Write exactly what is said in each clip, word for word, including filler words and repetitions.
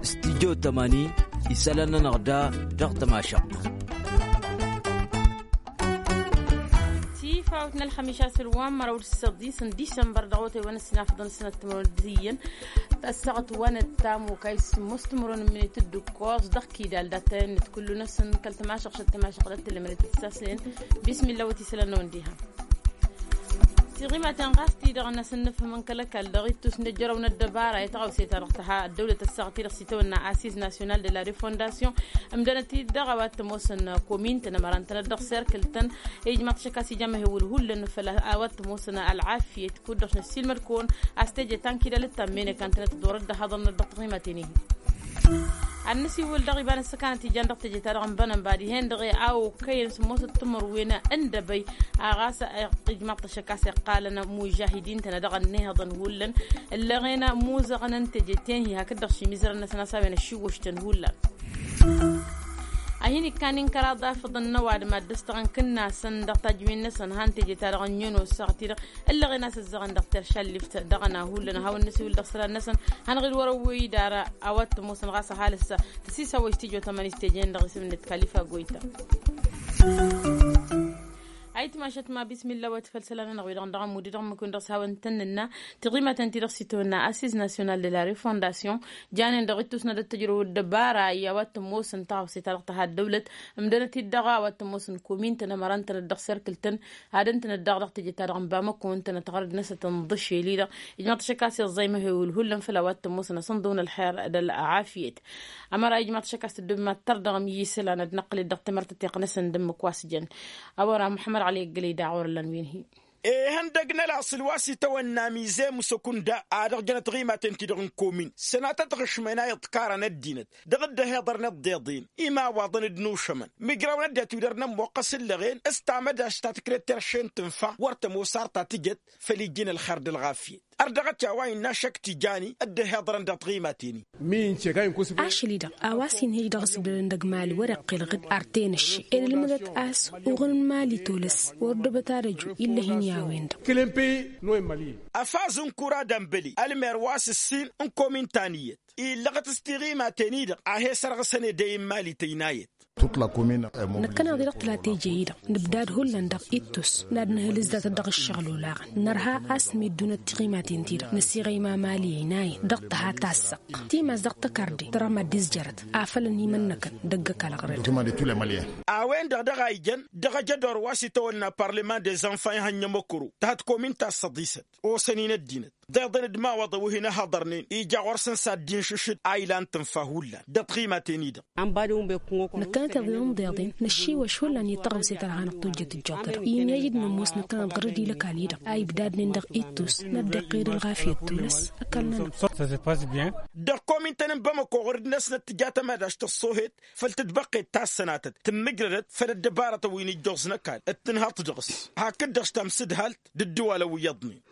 Stijjo tămani isălan-nănăɣ da dăɣ-tămašăɣt. Tifawt n-ălxămiš asǝl wa n-măraw d-săḍis n-disămbăr dăɣ-otay wa n-ăssinafăḍăn sănăt timǝrwen d-iyyăn. Tăssaɣăt wa n-ăttam okay s-mos timǝrwen n-minit d-ǝkkoẓ dăɣ-kidal d-attăyăn n-kullu-năsăn kăl-tămašăɣt šăt tămašăɣt d-ăttălămăret d-sasnen. Bismilla wăt isălan-năwăn diha. Tiɣimaten ɣas-ti-dăɣ n-asǝnnǝfhǝm n-kăl-ăkall dăɣ-ittus n-ejăraw n-ăddăbara i-taɣăwse ta dăɣ-tăha ăddăwlăt ăssaɣăt-i-dăɣ s-itawănna assiz national de la refondation. Ǝmdănăt-dd dăɣ-a-wa t-ămoosăn komin-tăn ămăran-tăn-dd dăɣ-serkǝl-tăn. Ijmaḍ-t šăkk a-s ija măhewǝl hullan făll-a wa t-ămoosăn ălɣafyăt kud-dăɣ s-năssiilmăd-kăwăn a-s teje ta n-kidal d-tammene kan tănăt-dd orăt d-ăhaḍăn-năt dăɣ-tiɣimaten-ihin. Ad-nǝsiwǝl dăɣ-iba n-ăssăkanăt ijan dăɣ-teje-ta-dăɣ n-bănănba dihen-dăɣ i-a okăyăn s-ămoosăt timǝrwen n-dăbăy. A ɣas ijmaḍ-t ăššăk a-s iqqalăn mužahidin-tăn dăɣ-ănnihăḍăn hullan ǝllăɣen muzăɣăn n-teje-ten-hi hakd-dăɣ šimizărăn-năsăn a-s a-wen ăššiwwăš-tăn hullan. A hin-ikkan inkăraḍ afǝḍăn n-ăwadǝm ad-dd-ăstăɣăn kǝnnasăn dăɣ-tajǝwen-năsăn han teje-ta-dăɣ ănniyyăn ossaɣăt-i-dăɣ ǝllăɣen a-s ǝzzăɣăn dăɣ-terša ăllift dăɣ-ăna hullan a hawăn-nǝsiwǝl dăɣ-isălan-năsăn. Hanăɣ-dd wăr-ăwwey idar a-wa t-ămoosăn ɣas ăhalǝs tǝsisawăj tijo tămănist teje-en-dăɣ isǝm-net kalifa goyta. Ayǝtmašăt ma bismilla wa t-făll-isălan-nănăɣ wi-dăɣ n-dăɣ-ămmud-i-dăɣ ǝmmǝk-wen-dăɣ s-hawăn-tăn-nǝnna. Tiɣimaten-ti-dăɣ s-itawănna assiz national de la refondation. Janen dăɣ-ittus n-ad-ăttăjrăw ăddăbara i-a-wa t-ămoosăn taɣăwse-ta-dăɣ tăha ăddăwlăt. Ǝmdănăt-dd dăɣ-a-wa t-ămoosăn komin-tăn ămăran-tăn-dd dăɣ-serkǝl-tăn. Ad-ǝntănăt daɣ dăɣ-teje-ta-dăɣ n-bamăko ǝntănăt ɣărăd-năsăt n-iḍǝšel-i-dăɣ. Ijmaḍ-t šăkk a-s iẓẓay măhewǝl hullan făll-a-wa t-ămoosăn asănḍǝw n-ălxer d-ălɣafyăt. Ămăra ijmaḍ-t šăkk a-s tǝddǝb mad-tărdăɣăm i-isălan ad-năqqǝlăt dăɣ-timărtăteɣt-năsăn d-ǝmmǝk wa s-jăn. A-wa ra muḥămmăd ɣali ăggălăy daɣ wăr-ăllan wi n-hi. Ehăn dăgg-năla s-ǝlwa s-itawănna mize musăkunda a dăɣ-jănăt tiɣimaten-ti-dăɣ n-komin sănatăt ɣǝšmăn a iḍkarăn ăddinăt dăɣ-dd-ăhiḍărnen d-iḍen imawaḍăn d-inušămăn. Mǝjrăwăn ăddinăt wi dăr-nămmoqqăs ǝllăɣen s-tamădašt ta tǝkret terše n-tǝnfa wăr tămoos ar ta tǝjăt făll-iji n-ălxer d-ălɣafyăt. Ărdăɣăt i-a-wa innă ašăk tijani dd-ăhiḍărăn dăɣ-tiɣimaten-i. Ašăl-i-dăɣ a-wa s-inhǝj dăɣ-s ǝbdădăn dăgg-imali wăr-iqqǝlăɣ-dd artăyăn ăššăy ed ǝlmǝdăt a-s uɣǝl n-imali tolăs wăr dd-ăbăt ad-ăju. Illăh-in i-a-wen-dăɣ. Ăfaz n-kura dămbăli ălmer wa s-ǝssin n-komin ta n-iyyăt illăɣăt s-tiɣimaten-i-dăɣ a he-sărɣǝsăn edăy n-imali tăynayăt. Năkkăneḍ-i-dăɣ tǝla teje-i-dăɣ nǝbdad hullan dăɣ-ittus n-ad-nǝhǝlǝs datăt dăɣ-ǝššăɣǝl olaɣăn nărha a-s mid-dunăt tiɣimaten-ti-dăɣ năsiɣăyma mali ăynayăn dăɣ-tǝha tassăɣt timas dăɣ-tăkarde tărha mad-dd-izjărăt afălăn imănnăkăn dăgg-ăkall ɣărăd. A-wen-dăɣ dăɣ-a ijăn dăɣ-ajădor wa s-itawănna parlement des enfants ihănjăm ăkăro tăhăt komin ta s-săḍisăt osăn-in ăddinăt ḍeḍăn d-imawaḍăn wi hin-ăhhăḍărnen ija ɣur-săn s-ad-dd-inšǝšǝd a ilan tǝnfa hullan dăɣ-tiɣimaten-i-dăɣ. Năkkăneḍ-i-dăɣ n-deḍen năššiwăš hullan i-taɣăwse ta dăɣ-hanăɣ-tojjăt ǝjjuḍ-ta-dăɣ i-ija d-nămoos năkkăneḍ ɣărăd i-lăkall-i-dăɣ a ibdadnen dăɣ-ittus n-ad-dd-iqqed ălɣafyăt tulăs. Ăkall-nănăɣ. Dăɣ-komin-tăn n-bamăko ɣur-dd-năsnăt tǝja tămădašt ăṣṣoohet făll-tǝtbăqqet ta s-sănatăt tǝmmǝjrădăt făll-ăddăbarătăn wi n-ijjoẓ n-ăkall d-tǝnhăḍt dăɣ-s hakd-dăɣ s-tamsǝdhalt d-ǝddǝwalăn wi iyyăḍnen.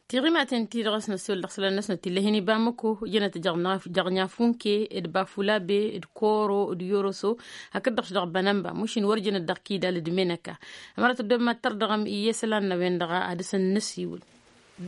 Tiɣimaten-ti-dăɣ a-s năsiwǝl dăɣ-isălan-năsnăt ill'-e hin-iba n-măko jănăt jăɣ-nyafunke d-bafulabe d-koro d-yoroso hakd-dăɣ-s dăɣ-bănănba mušin wăr jănăt dăɣ-kidal d-menăka. Ămăra tăddob mad-tărdăɣăm iyyăt isălan n-a-wen-dăɣ a dăr-săn năsiwǝl.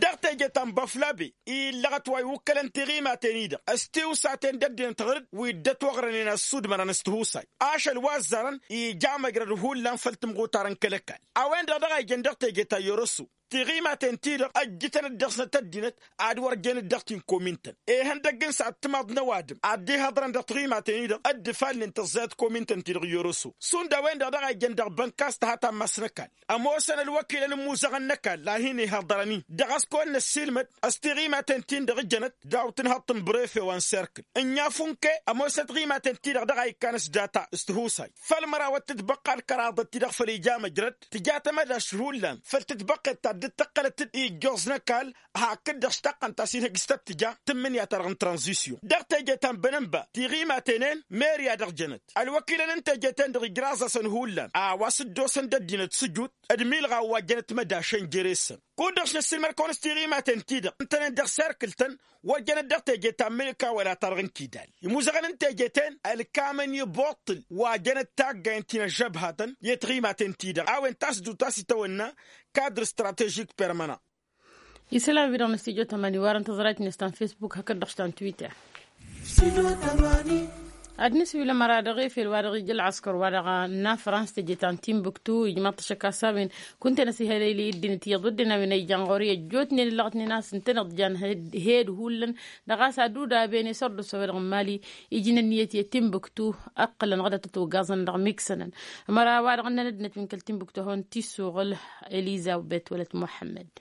Dăɣ-teje ta n-bafulabe illăɣăt wa iwǝkkălăn tiɣimaten-i-dăɣ s-tiwsaten d-ăddinăt ɣǝr-dd wi dd-ătwăɣrănen ăssudmărăn s-tihusay ašăl wa ăzzarăn ija măjrăd hullan făll-tǝmɣutar n-kăl-ăkall. A-wen-dăɣ dăɣ-a ijăn dăɣ-teje ta n-yoroso tiɣimaten-ti-dăɣ ăjjǝtăn-dd dăɣ-snăt ăddinăt ad-wăr jen-dd dăɣ-ti n-komin-tăn ehăndăgg n-săɛd timaḍ n-ăwadǝm ad-dd-ihăḍrăn dăɣ-tiɣimaten-i-dăɣ dd-ifalnen tăẓẓayăt komin-tăn-ti-dăɣ n-yoroso. Šund a-wen-dăɣ dăɣ-a ijăn dăɣ-bănkas tăha ta n-mass n-ăkall ămoosăn ălwăkilăn n-imuzăɣăn n-ăkall a hin-ihăḍărăn-in dăɣ-a-s kăwăn-năssiilmăd s-tiɣimaten-tin-dăɣ jănăt daw-tǝnhăḍt n-brefe wa n-serkǝl n-inyaf unke ămoosnăt tiɣimaten-ti-dăɣ dăɣ-a ikkan s-data s-tihusay făll-mărawăt tǝtbăqqa d-kăraḍăt-ti-dăɣ făll-ija măjrăd tǝja tămădašt hullan făll-tǝtbăqqet ta dd-tǝqqălăt-dd ijjoẓ n-ăkall hakd-dăɣ-s taqqăn ta s-inhǝj s-tăt-tǝja tǝmmǝnǝya-ta-dăɣ n-tranzisyon dăɣ-teje ta n-bănănba tiɣimaten-en meriya-dăɣ jănăt ălwăkilăn n-teje-ten-dăɣ ijraẓ-asăn hullan a-wa s-dd-osăn d-ăddinăt s-ǝjut d-imilɣaw wa jănăt mădašăn jere-săn. Kud-dăɣ s-năssiilmăd-kăwăn s-tiɣimaten-ti-dăɣ ǝntănen dăɣ-serkǝl-tăn wăr jănăt dăɣ-teje ta n-mănǝka wăla ta dăɣ-n kidal imuzăɣăn n-teje-ten ălkamăn i-buṭṭǝl wa jănăt taggayen ti n-ăžžăbhatăn i-tiɣimaten-ti-dăɣ a-wen tasdut a-s itawănna kadr stratežik permăna. Isălan-wi-dăɣ n-stujo tămani warăn tăẓrayt-net ta n-facebook hakd-dăɣ ta n-twitter. Ad-nǝswǝl ămăra dăɣ-efel wa dăɣ-ija ălɣăskăr wa dăɣ-nafrans teje ta n-timbuktu ijmaḍ-t ašăk a-s a-wen kunta-năs ihălăyli ăddinăt iyyăḍ wădden a-wen a ijan ɣur-i ăjjootnen ǝllăɣătnen a-s ǝntăneḍ jan hed hullan dăɣ-a-s ad-udaben i-sărdusa wa dăɣ-n mali. Ijnăn iyyăt i-timbuktu ǝqqǝlăn ɣǝdăt ătwăggaẓăn dăɣ-miksănăn ămăra wa dăɣ-ǝnnăn ăddinăt wi n-kăl-timbuktu a hawăn-t-isuɣǝl. Elizabet wălăt muḥămmăd.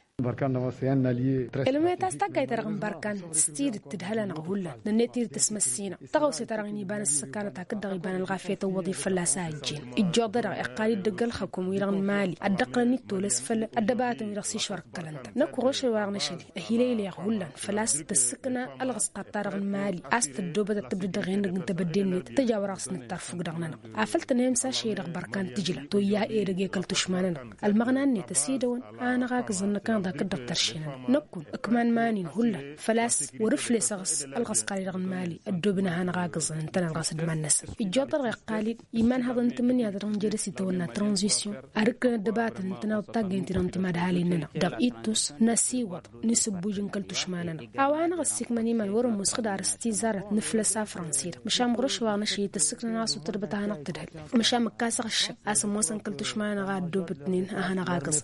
Ălmet a-s taggayt-ta-dăɣ n-bărkan s-tidǝt tǝdhăl-anăɣ hullan nănnet-dd tăsmăssinăɣ tăɣawse-ta-dăɣ-in iba n-ăssăkanăt hakd-dăɣ iba n-ălɣafyăt ăwwăḍ-i fălla-s a ăjjeen. Ijjoḍ-dăɣ iqqal-dd dăgg-ălxăkum-wi-dăɣ n-mali ad-dd-ăqqǝlăn ittoles făll-ăddăbatăn-wi-dăɣ s-išwărkălăn-tăn năkk ɣur-ošăy wa dăɣ-năšăl. Ăhiilăylăyăɣ hullan făl-a-s tăssǝkna ălɣăsqat-ta-dăɣ n-mali a-s tăddoobăt ad-tǝbdǝd dăɣ-e-năgg n-tebădde-net tăjawăr-aɣ s-nǝttar fuk-dăɣ-nănăɣ afăl tănhăyăm s-ašăl-i-dăɣ bărkan tǝjla toyya edăgg i-kăl-tušma-nănăɣ. Ălmăɣna-net ăsidăwăn a hanăɣ-agǝẓăn năkk-anăɣ d-akǝddăɣ tărše-nănăɣ năkkun ǝkman manin hullan făl-a-s wăr-ǝflesăɣ s-ălɣăskar-i dăɣ-nǝmali ăddoobăn a hanăɣ-agǝẓăn ǝntăneḍ ɣas d-iman-năsăn. Ijjoḍ-ta-dăɣ iqqal-dd iman haḍăn tǝmǝnǝya-ta-dăɣ n-jere s-itawănna tranzisyon ad-ǝkkǝlăn ăddăbatăn ǝntăneḍ d-taggăyăn-ti-dăɣ n-timadhalin-nănăɣ dăɣ-ittus n-asiwăḍ n-isǝbbuj n-kăl-tušma-nănăɣ. A-wa hanăɣ-ăssiikmăn iman wăr-ămoos xǝdar s-tizarăt n-aflăs a fransi-dăɣ măšan ɣur-ašăl wa dăɣ-năšăl i-tăssǝknăn a-s wăr tădbăt a hanăɣ-tǝdhǝl. Măšan mǝkkasăɣ ǝššăk a-s ămoosăn kăl-tušma-nănăɣ a ăddoobătnen a hanăɣ-agǝẓ.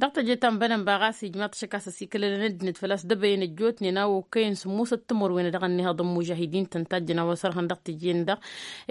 Dăɣ-teje ta n-bănănba ɣas ijmaḍ-t ašăk a-s ăsikălălăn ăddinăt făl-a-s dăbăyăn ăjjootnen a okăyăn sǝmmosăt timǝrwen dăɣ-ănnihăḍ n-mužahidin-tăn tajjăn a-wa sărhăn dăɣ-teje-en-dăɣ.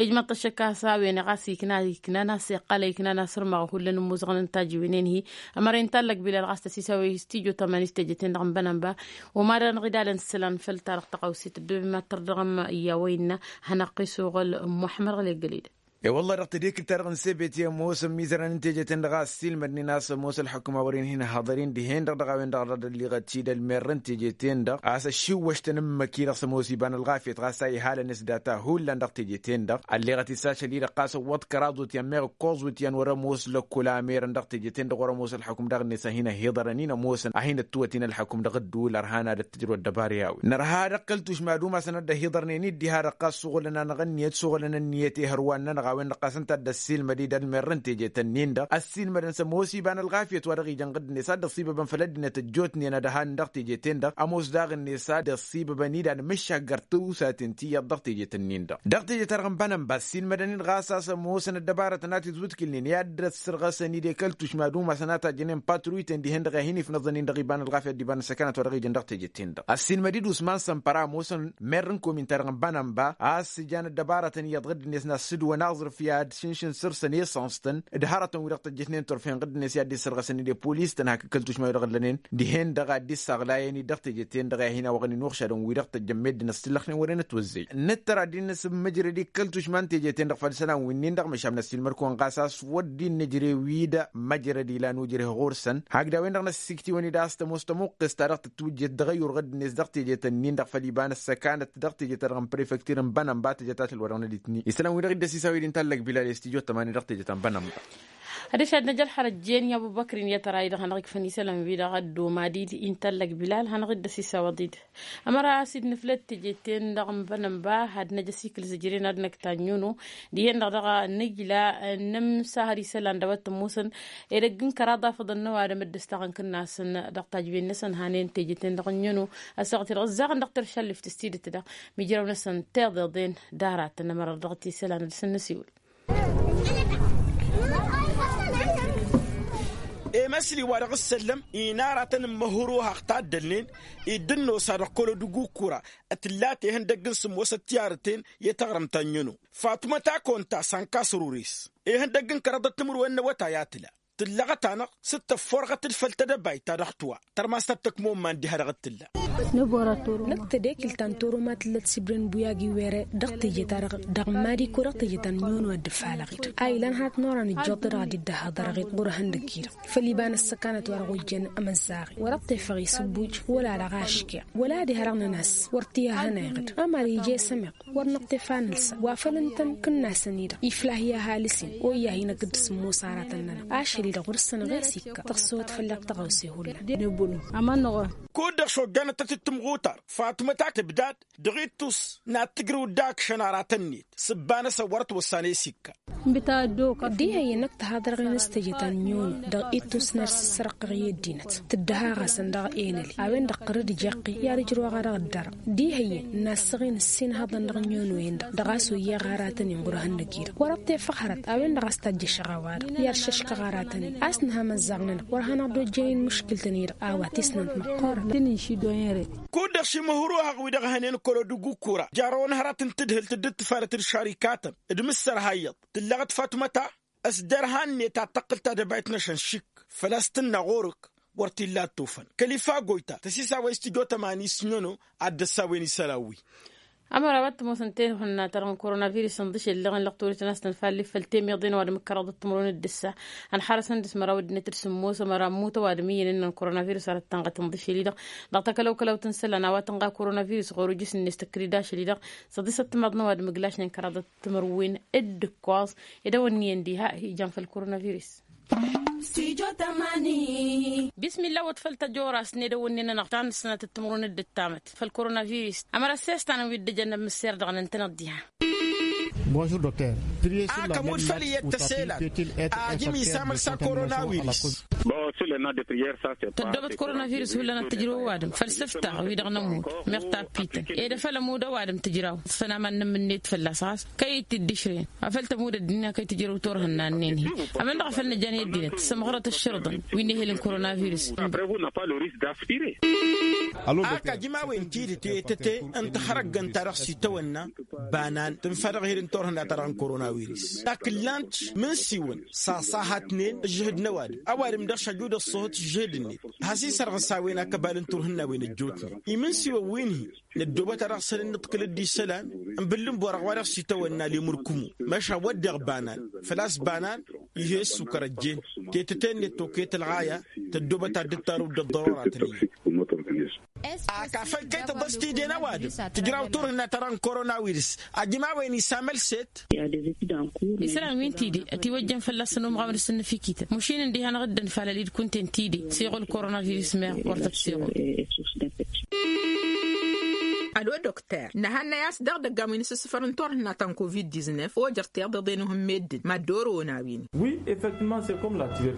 Ijmaḍ-t ašăk a-s a-wen ɣas ikna iknan a-s iqqal a iknan a-s ărmăɣ hullan n-imuzăɣăn n-tajǝwen-en-hi. Ămăra intallăg bilal ɣas tăsisaw i-stijo tămani s-teje-ten-dăɣ n-bănănba. Wăma dăr-anăɣ idalăn isălan făll-ta-dăɣ tăɣawse tăddobem ad-tărdăɣăm i-a-wa innă. Hanăɣ-qissuɣăl muḥămmăd ɣălek găled. E-wălla-hi dăɣ-tedekǝlt-ta-dăɣ n-sebet i-ămoosăn imizărăn n-teje-ten-dăɣ a ăssiilmădnen a-s ămoos ălḥukǝm a wăren hin-ăhhăḍăren dihen-dăɣ dăɣ-a-wen-dăɣ dăr-ălliɣăt-dd ălmerrăn teje-ten-dăɣ a-s ăššiwwăš-tăn ǝmmǝk-i-dăɣ s-ămoos iba n-ălɣafyăt ɣas a ihalăn s-data hullan dăɣ-teje-ten-dăɣ. Ălleɣăt-dd s-ašăl-i-dăɣ ɣas ăwwăḍ kăraḍ wătyan meɣ ǝkkoẓ wătyan wăr-ămoos lăkkol a merăn dăɣ-teje-ten-dăɣ wăr-ămoos ălḥukǝm dăɣ-net a hin-ăhhiḍărăn-in ămoosăn a hin-ăttwăt-in ălḥukǝm dăɣ-ădduul ărhan ad-ăttǝjrăw ăddăbar i-a-wen nărha dăɣ-kăl-tušma d-umasăn ad-dd-ăhhiḍărnen-dd diha-dăɣ ɣas suɣǝlăn-anăɣ ǝnniyăt suɣǝlăn ǝnniyăt i-hărwan-nănăɣ a-wen-dăɣ ɣas ǝnta a dd-ăssiilmăd-dd ălmerrăn teje-tăn-in-dăɣ ăssiilmădăn s-ămoos iba n-ălɣafyăt wa dăɣ-ijăn ɣǝdd-net a dd-ăṣibăbăn făll-ăddinăt ăjjootnen ad-ăhan dăɣ-teje-ten-dăɣ ămoos daɣ-net a dd-ăṣibăbăn-dd ad-mǝššak găr tǝwsaten ti iyyăḍ dăɣ-teje-tăn-in-dăɣ. Dăɣ-teje-ta-dăɣ n-bănănba ăssiilmădăn-dd ɣas a-s ămoosăn ăddăbarătăn a t-izwǝtkǝlnen i-ad-dd-ăssărɣăsăn-dd i-kăl-tušma d-umasăn a tajjănen patruyten dihen-dăɣ i-ad-hin-ifnăẓăn-in dăɣ-iba n-ălɣafyăt d-iba n-ăssăkanăt wa dăɣ-ijăn dăɣ-teje-ten-dăɣ ăssiilmăd-dd usman sămpăra ămoosăn merr n-komin-ta-dăɣ n-bănănba a-s ǝjan ăddăbarătăn iyyăḍ ɣǝdd-net n-ad-sǝdwăn aẓrǝf i-ad-šǝnšǝn săr-săn esăns-tăn d-hărătăn-wi-dăɣ tăjjătnen turfen ɣǝdd-net i-ad-dd-issărɣăsăn-dd i-polis-tăn hak kăl-tušma-wi-dăɣ ǝllănen dihen-dăɣ a dd-issaɣlayăn-dd dăɣ-teje-ten-dăɣ i-ad-hin-awăɣăn inuɣšadăn-wi-dăɣ tăjjăn meddǝn ăssillăxnen wăren ătwăzzey. Nǝttăr ad-dd-nǝsǝmmǝjrăd i-kăl-tušma n-teje-ten-dăɣ făll-isălan-winnin-dăɣ măšan năssiilmăd-kăwăn ɣas a-s wăr dd-innǝjre wi-dăɣ măjrăd ilan ujreh ɣur-săn hakd a-wen-dăɣ năssiiktiwăn-dd a-s tămoos tămuqqes-ta-dăɣ tǝtwǝjjet dăɣ-ăyyur ɣǝdd-net dăɣ-teje-tăn-in-dăɣ făll-iba n-ăssăkanăt dăɣ-teje-ta-dăɣ n-prefektir n-bănănba tǝjăt atǝl wa dăɣ-năditni isălan-wi-dăɣ dd-ăsisaw-dd inta ăllăg bilal i-stijo tămani dăɣ-teje ta n-bănănba. Ad-ăšad n-ajăl har ăjjeen i-abu băkrin i-ad-tăra-i-dăɣ hanăɣ-ikfăn isălan-wi-dăɣ ăddooma d-id-i n-tallăg bilal hanăɣ-dd-ăsisaw ăḍid. Ămăra a-s dd-nǝflăt teje-ten-dăɣ n-bănănba ad-năj ăsikǝl zǝjren ad-năkk tanyono dihen-dăɣ dăɣ-nǝjla. Nǝmsahăr isălan dăwăt tămmusăn edăgg n-kăraḍ afăḍăn n-ăwadǝm dd-ǝstaɣăn kǝnnasăn dăɣ-tajben-năsăn hanen teje-ten-dăɣ n-nyono. Ăssaɣăt-i-dăɣ ǝzzaɣăn dăɣ-teršalleft s-tidǝt-dăɣ mijrăw-năsăn tiḍeḍen d-aratăn ămăra dăɣ-t-isălan ad-săn-năsiwǝl. Emăsli wa dăɣ-ǝssăllăm inaratăn n-măhruhaɣ taddălnen iddǝnnosa dăɣ-kăl-odǝgu kura tǝlla tehăndăgg n-sǝmmosăt tiyarăten i-taɣrǝmt ta n-yăno. Fatmăt akonta sankas ruris ihăndăgg n-kăraḍăt timǝrwen n-awătay a tǝla tǝllăɣăt-anăɣ s-dd-tăfforɣăt-dd făll-tedăbayt ta dăɣ-tǝwa. Tărmast ad-tăkmomman diha-dăɣ t-tǝlla. Năkk tedekǝlt ta n-toroma tǝllăt sibren buyagi were dăɣ-teje-ta-dăɣ dăɣ-madi ko dăɣ-teje ta n-nyono ad-dd-ǝfalăɣ-dd a ilan hanăt n-oran ǝjjoḍ-t-dăɣ ad-dd-ăhhăḍărăɣ-dd ɣur-ehăndăg-i-dăɣ făll-iba n-ăssăkanăt wa dăɣ-ojjăn ămăzzaɣ-i wăr-ăṭṭefăɣ isǝbbuj wăla dăɣ-aškeɣ wăla diha-dăɣ năn-ăss wăr t-ih'-ăhănayăɣ-dd ămăra ija i-sămeɣ wăr năṭṭef a nǝlsa wa făl ǝntăn kǝnnasăn-i-dăɣ iflah i-ăhalǝs-in oyya-hi-năkk dd-sǝmmos aratăn-nănăɣ ašăl. Dăɣ-wăr-săn ɣas ikka tăɣsăwăt fălla-ɣ tăɣawse hullan. Kud-dăɣ šojjanăt-t-dd tǝmɣutar fatmăta tǝbdad dăɣ-ittus n-ad-tǝjrǝw dd-akšăn aratăn-net s-ǝbba-năsăn wăr-ătwăssan i-s ikka. Diha iyyăn ăkk tăhaḍrăɣen s-teje ta n-inyonu dăɣ-ittus n-ad-sǝssărăɣ-tăɣ i-ăddinăt tǝddǝha ɣasăn dăɣ-enăli a-wen-dăɣ qărǝd ǝjaqq-i i-ad-ǝjrǝwăɣ a dăɣ-dd-arăɣ. Diha iyyăn n-assăɣen ǝssin ihăḍăn dăɣ-inyonu-en-dăɣ dăɣ-a-s oyyeɣ aratăn-in ɣur-ehănnăg-i-dăɣ wăr-ăṭṭefăɣ hărăt a-wen-dăɣ a-s tajjăšăɣ a-wa-dăɣ i-ad-šăškăɣ aratăn-in a-s nǝha imăzzaɣ-nănăɣ wăr hanăɣ-dd-ojjăyăn mǝškǝl-tăn-i-dăɣ a-wa tisnant măqqoorăn. Kud-dăɣ šimǝhruhăɣ wi-dăɣ hănen kălo d-ǝgukura jarrăwăn hărăt n-tadhǝlt dd-ǝtfarăt d-šarikatăn d-imǝssărha iyyăḍ tǝllăɣăt fatmăta s-derha-net ad-tăqqǝl tadăbayt n-ašănšik făl-a-s tǝnna ɣur-ǝkk wăr t-illa ad-tufăn kăl-ifa goyta tăsisa wa istǝjo tămani s-năno ad-dd-ăssawen isălan-wi. Ămăra wa t-ămoosăn tenhǝnna ta dăɣ-n koronavirus ǝnḍǝšel dăɣ-en lăqtorităn a-s tăn-falli făll-temiḍen ăwadǝm ǝkkăraḍăt timǝrwen d-ǝssa ănxarăsăn dăɣ-s măraw ăddinăt d-sǝmmos ămăra ămmut ăwadǝm iyyăn ǝnnăn koronavirus arăt tănɣăt ǝnḍǝšel-i-dăɣ dăɣ-takălăwkălawt n-isălan a-wa tǝnɣa koronavirus ɣur-ujǝs-net tăkkăr-dd ašăl-i-dăɣ săḍisăt timaḍ n-ăwadǝm ǝglašnen kăraḍăt timǝrwen d-ǝkkoẓ. Edăwănniyăn diha ijan făll-koronavirus. Bismilla wăt făll-tăjorast n-edăwănne-nănăɣ ta n-ǝssănatăt timǝrwen d-ǝttamăt făll-koronavirus ămăra s-estanăn wi dd-ăjăn n-amǝsser dăɣ-năntăneḍ diha. Bonjour docteur. Akămud făll-iyyăt tăselan ajǝm isamăl-s a koronavirus. Tăddobăt koronavirus hullan ad-tǝjrǝw ăwadǝm făll-sǝftaɣ wi-dăɣ nămud meɣ tappităn ed afăl ămud ăwadǝm tǝjraw tǝfăn aman n-ǝmmǝnnet fălla-s ɣas kăy-dd-išrǝyăn afăl tămud ăddinăt kăy-tǝjrǝw turhǝnna-nen-hi. Ămănăɣ afăl nǝjan i-ăddinăt s-ămɣărăt ăššărǝḍăn wi n-ehel n-koronavirus. Ak ajǝm a-wen tidǝt i-tăte n-tihărăggăn-ta-dăɣ s-itawănna banan tǝnfa dăɣ-ehel n-turhǝnna-ta-dăɣ n-koronavirus. Takǝllant mǝnsiwăn s-aṣahatnen ǝžžǝhǝd n-ăwadǝm ăwadǝm dăɣ-s ăjud ăṣṣuhǝt ǝžžǝhǝd-net has-isărɣǝs a-wen akăbal n-turhǝnna-wen ăjjootnen imǝnsiwăn wi n-hi-năddobăt a dăɣ-săn ǝnnǝḍkǝl-dd isălan n-bǝllǝnbu-wa-dăɣ wa dăɣ-s itawănna lemur kǝmu măšan wădden banan făl-a-s banan. Ih' e-ăssukăr ăjjeen tetăte-net toket ălɣaya tăddobăt ad-dd-tarǝw dd-ăḍḍărora tăn-iyyăn. Ak afăl kăy-tăḍăs tide n-ăwadǝm tǝjraw turhǝnna-ta-dăɣ n-koronavirus ajǝm a-wen isamăl-set. Isălan wi n-tide ătiwăjjăn fălla-săn umɣaw n-asǝnnǝfikităn mušin ǝndiha-năɣ dd-ănfalăl-dd kunta-en tide siɣul koronavirus meɣ wăr tăt-siɣul. Ălo dokter nǝhannăy a-s dăɣ-idăggan wi n-asǝssǝfăr n-turhǝnna ta n-covid-diznef ojăr tiḍeḍen uhǝn meddǝn mad-dd-orăwăn a-wen.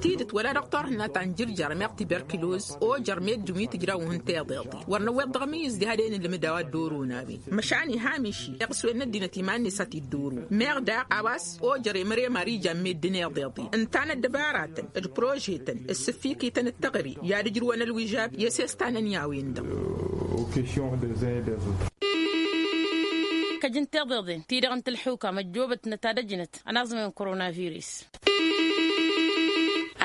Tidǝt wăla dăɣ-turhǝnna ta n-jǝrjăr meɣ tiberkiloz ojăr meddǝn wi tǝjraw uhǝn tiḍeḍen wăr năwweḍ dăɣ-amǝyyǝz diha d-e-nǝlmǝd a-wa dd-orăwăn a-wen. Măšan iha miši iɣswen n-ăddinăt iman-net a t-dd-orăwăn meɣ daɣ a-wa s-ojăr i-măre mari ijan meddǝn iḍeḍen ǝnta n-ăddăbaratăn d-prožetăn d-sǝffikităn d-teɣăre i-ad-ǝjrǝwăn ălwižab i-s estanăn i-a-wen-dăɣ. Kăj n-tiḍeḍen ti-dăɣ n-tălxuka măjjoobătnăt ad-ăjnăt ănaẓmăy n-koronavirus.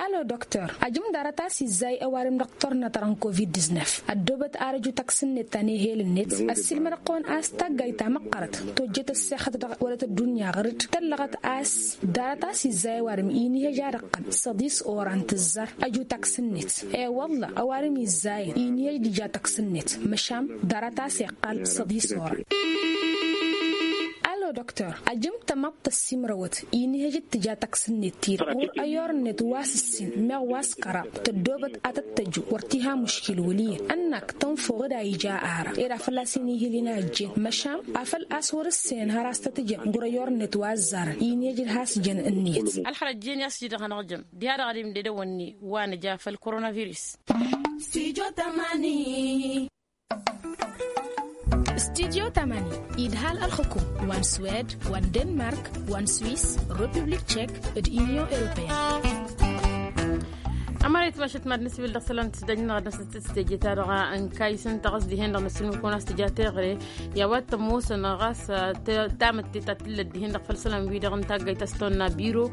Alo doktor ajǝm ḍarăt a-s izzay ăwadǝm dăɣ-turhǝnna-ta-dăɣ n-covid-diznef ăddoobăt arăju taksǝnnet ta n-ehel-net ăssiilmăd-kăwăn a-s taggayt ta măqqărăt tojjăt ăssexăt dăɣ-wălăt ăddunya ɣăr-dd tăllăɣăt a-s ḍarăt a-s izzay ăwadǝm inihăj ad-ăqqăn săḍis oran tǝzzar ăju taksǝnnet. E-wălla ăwadǝm izzayăn inihăj d-ija taksǝnnet măšan ḍarăt a-s iqqal săḍis oran. Alo doktor ajǝm tămaḍt tăssimrăwăt inihăj d-tǝja taksǝnnet-ti-dăɣ ɣur-ăyor-net wa s-ǝssin meɣ wa s-kăraḍ tăddoobăt ad-tăt-tăju wăr t-iha muškil wăl' iyyăn ănnak tănfăw d-a ija ara ed a fălla-s inihǝl-in a ăjjeen măšan afăl a-s wăr-ǝssin hăr a-s tăt-ǝjăn ɣur-ăyor-net wa ăzzarăn inihăj d-has-jăn ǝnniyăt. Ălxărăt jen i-a-s iji-dăɣ hanăɣ-jăm diha dăɣ-adim d-edăwănni wa nǝja făll-koronavirus. Studyo tămani. Studyo tămani idhal ălxǝkum wa n-swed wa n-denmark wa n-swis, republik tchek d-unyon europeyăn. Ămăra itmašăt mad-nǝsbil dăɣ-isălan tisdăjnăɣ ad-năsăt s-teje-ta-dăɣ n-kayǝs ǝnta ɣas dihen-dăɣ nǝsǝlmǝd-kăwăn a-s tǝja teɣăre i-a-wa t-ămoosăn ɣas tamǝtte ta t-tǝllăt dihen-dăɣ făll-isălan-wi-dăɣ n-taggayt a-s tawănna biro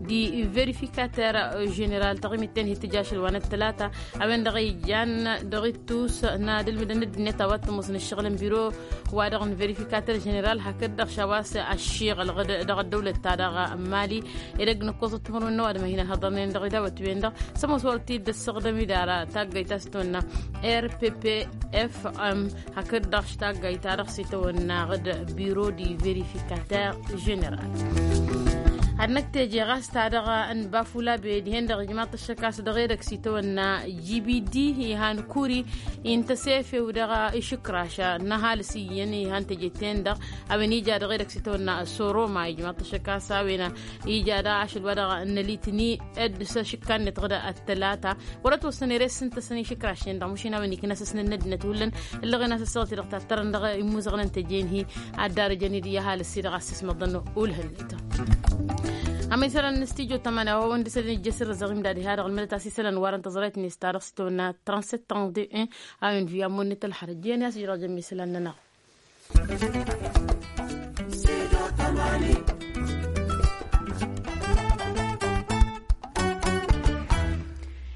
d-verifikater ženeral taɣimit-ten hi-tǝja ašăl wa n-ăttălata. A-wen-dăɣ ijan dăɣ-ittus n-ad-ǝlmǝdăn ăddinăt a-wa t-ămoosăn ǝššăɣǝl n-biro-wa-dăɣ n-verifikater ženeral hakd-dăɣ š-a-wa s-ăššiɣălăɣ dăɣ-ăddăwlăt-ta-dăɣ n-mali. Edăgg n-ǝkkoẓăt timǝrwen n-ăwadǝm a hin-ăhhăḍărnen dăɣ-idawăt-wen-dăɣ s-ămoos wăr t-dd-ăssaɣdăm-dd ara taggayt a-s tawănna r p p f m hakd-dăɣ š-taggayt-ta-dăɣ s-itawănna d-biro d-verifikater ženeral. Ad-năkk teje ɣas ta dăɣ-n bafula be dihen-dăɣ ijmaḍ-t ăššăk a-s dăɣ-edăgg s-itawănna jibidi ihan kuri. Intăsefew dăɣ-išǝkraš n-ăhalǝs iyyăn ihan teje-ten-dăɣ a-wen ija dăɣ-edăgg s-itawănna soroma ijmaḍ-t ăššăk a-s a-wen ija dăɣ-ašăl wa dăɣ-nălitni dd-s ašǝkka-net dăɣ-dd-ăttălata. Wăr-ătwăssăn ere s-ǝntăsăn išǝkraš-ten-dăɣ mušin a-wen iknasăsnen n-ăddinăt hullan. Ǝllăɣen a-s ăssaɣăt-i-dăɣ tattărăn dăɣ-imuzăɣăn n-teje-in-hi ad-darăjăn-dd i-ăhalǝs-i-dăɣ a-s ismăḍăn ulhăn-net. Ămăysalăn n-stijo tămani a-wa wăn-dd-isălan ijjăs irrăzăɣ imdad iha-dăɣ ălmădăt a-s isălan warăn tăẓrayt-net ta dăɣ-s itawănna transet tănḍe'en. A-wen vi ammon-net ălxărăt jiyăn i-a-s ijrăɣ jămmi isălan-nănăɣ.